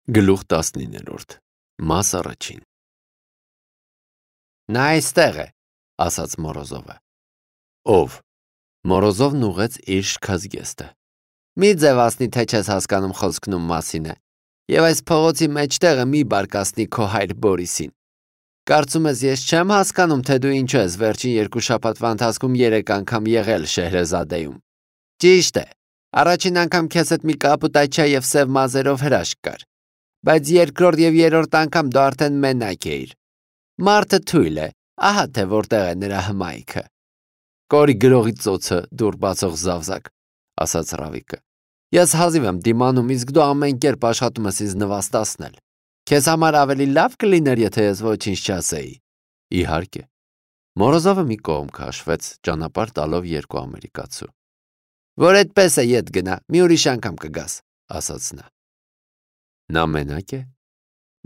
Գլուխ 19 Մաս առաջին Նա այստեղ է, ասաց Մորոզովը։ Ով։ Մորոզովն ուղեց իր շքազգեստը։ Մի ձևացնի, թե չես հասկանում խոսքնում մասին է, և այս փողոցի մեջտեղը մի բարկացնի քո հայր Բորիսին։ Կարծում ես ես չեմ հասկանում, թե դու ինչու ես վերջին 2 շաբաթվա ընթացքում 3 անգամ եղել Շեհրեզադեում։ Ճիշտ է, առաջին անգամ քեզ հետ մի կապուտաչիա և սև մազերով հրաշք կար, բայց երկրորդ և երրորդ անգամ դու արդեն մենակ էիր։ Մարդը թույլ է, ահա թե որտեղ է նրա հմայքը։ Կորի գրողի ծոցը, դուռ բացող զավզակ, ասաց Ռավիկը։ Ես հազիվ եմ դիմանում, իսկ դու ամեն կերպ աշխատում ես ինձ նվաստացնել։ Քեզ համար ավելի լավ կլիներ, եթե ես ոչինչ չասեի։ Իհարկե։ Մորոզովը մի կողմ քաշվեց, ճանապարհ տալով 2 ամերիկացու։ Որ այդպես է, ետ գնա, մի ուրիշ անգամ կգաս, ասաց նա։ Նա մենակ է։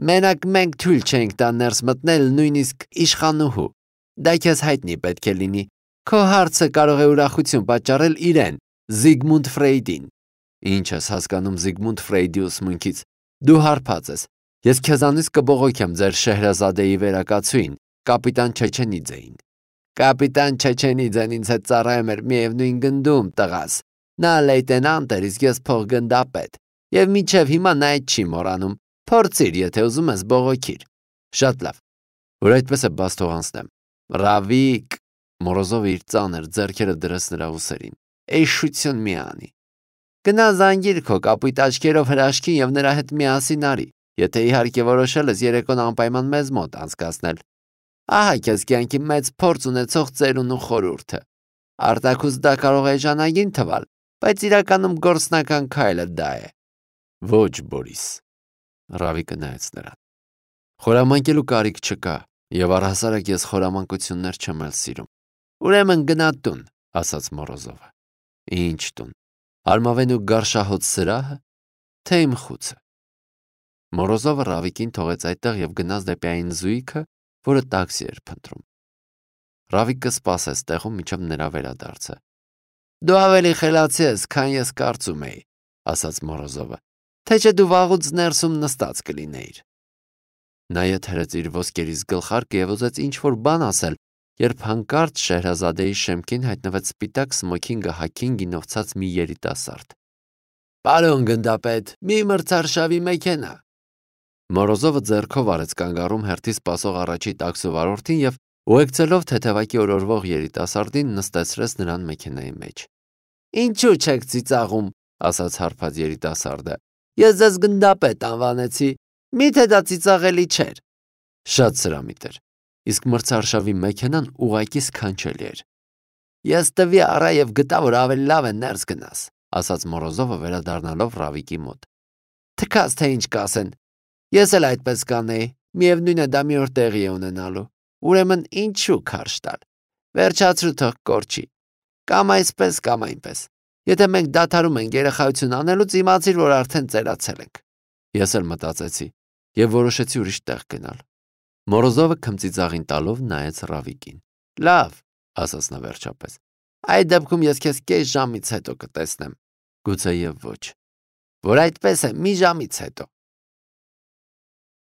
Մենակ մենք թույլ չենք տա ներս մտնել նույնիսկ իշխանուհու։ Դա քեզ հայտնի պետք է լինի։ Քո հարցը կարող է ուրախություն պատճառել իրեն, Զիգմունդ Ֆրեյդին։ Ինչ ես հասկանում Զիգմունդ Ֆրեյդի ուսմունքից։ Դու հարբած ես։ Ես քեզանից կբողոքեմ ձեր Շեհրեզադեի վերակացուին, կապիտան Չեչենիձեին։ Կապիտան Չեչենիձեն ինձ հետ ծառայում էր միևնույն գնդում, տղաս։ Նա լեյտենանտ էր, իսկ ես փոխգնդապետ։ Եվ մինչև հիմա նա այդ չի մոռանում։ Փորձիր, եթե ուզում ես բողոքիր։ Շատ լավ։ Որ այդպես է, բաց թող անցնեմ։ Ռավիկ, Մորոզովը իր ծանր ձեռքերը դրեց նրա ուսերին։ Էշություն մի անի։ Գնա զանգիր քո կապույտ աչքերով հրաշքին և նրա հետ միասին արի, եթե իհարկե որոշել ես երեկոն անպայման մեզ մոտ անցկացնել։ Ահա քեզ կյանքի մեծ փորձ ունեցող ծերունու խորհուրդը։ Արտաքուստ դա կարող է էժանագին թվալ, բայց իրականում գործնական քայլը դա է։ Ոչ, Բորիս։ Ռավիկը նայեց նրան։ Խորամանկելու կարիք չկա, եւ առհասարակ ես խորամանկություններ չեմ էլ սիրում։ Ուրեմն գնա տուն, ասաց Մորոզովը։ Ինչ տուն։ Արմավենու գարշահոտ սրահը, թե իմ խուցը։ Մորոզովը Ռավիկին թողեց այդտեղ եւ գնաց դեպի այն զույգը, որը տաքսի էր փնտրում։ Ռավիկը սպասեց տեղում, մինչև նրա վերադարձը։ Դու ավելի խելացի ես, քան ես կարծում էի, ասաց Մորոզովը, թե չէ դու վաղուց ներսում նստած կլինեիր։ Նա եթերեց իր ոսկերից գլխարկը եւ ուզեց ինչ-որ բան ասել, երբ հանկարծ Շեհրեզադեի շեմքին հայտնվեց սպիտակ սմոքինգը հագին գինովցած մի երիտասարդ։ Պարոն գնդապետ, մի մրցարշավի մեքենա։ Մորոզովը ձեռքով արեց կանգառում հերթի սպասող առաջի տաքսու վարորդին եւ ուղեկցելով թեթևակի օրորվող երիտասարդին նստեցրեց նրան մեքենայի մեջ։ Ինչու չեք ծիծաղում, ասաց հարբած երիտասարդը։ Ես ձեզ գնդապետ անվանեցի, միթե դա ծիծաղելի չէր։ Շատ սրամիտ էր, իսկ մրցարշավի մեքենան ուղղակի սքանչելի էր։ Ես տվի առա եւ գտա, որ ավելի լավ է ներս գնաս, ասաց Մորոզովը վերադառնալով Ռավիկի մոտ։ Թքած թե ինչ կասեն։ Ես էլ այդպես կանեի, միևնույն է դա մի օր տեղի է ունենալու։ Ուրեմն ինչու քարշ տալ։ Վերջացրու թող կորչի։ Կամ այսպես, կամ այնպես։ Եթե մենք դադարում ենք երեխայություն անելուց, իմացիր, որ արդեն ծերացել ենք։ Ես էլ մտածեցի եւ որոշեցի ուրիշ տեղ գնալ։ Մորոզովը քմծիծաղին տալով նայեց Ռավիկին։ Լավ, ասաց նա վերջապես։ Այդ դեպքում ես քեզ կես ժամից հետո կտեսնեմ։ Գուցեև ոչ։ Որ այդպես է, մի ժամից հետո։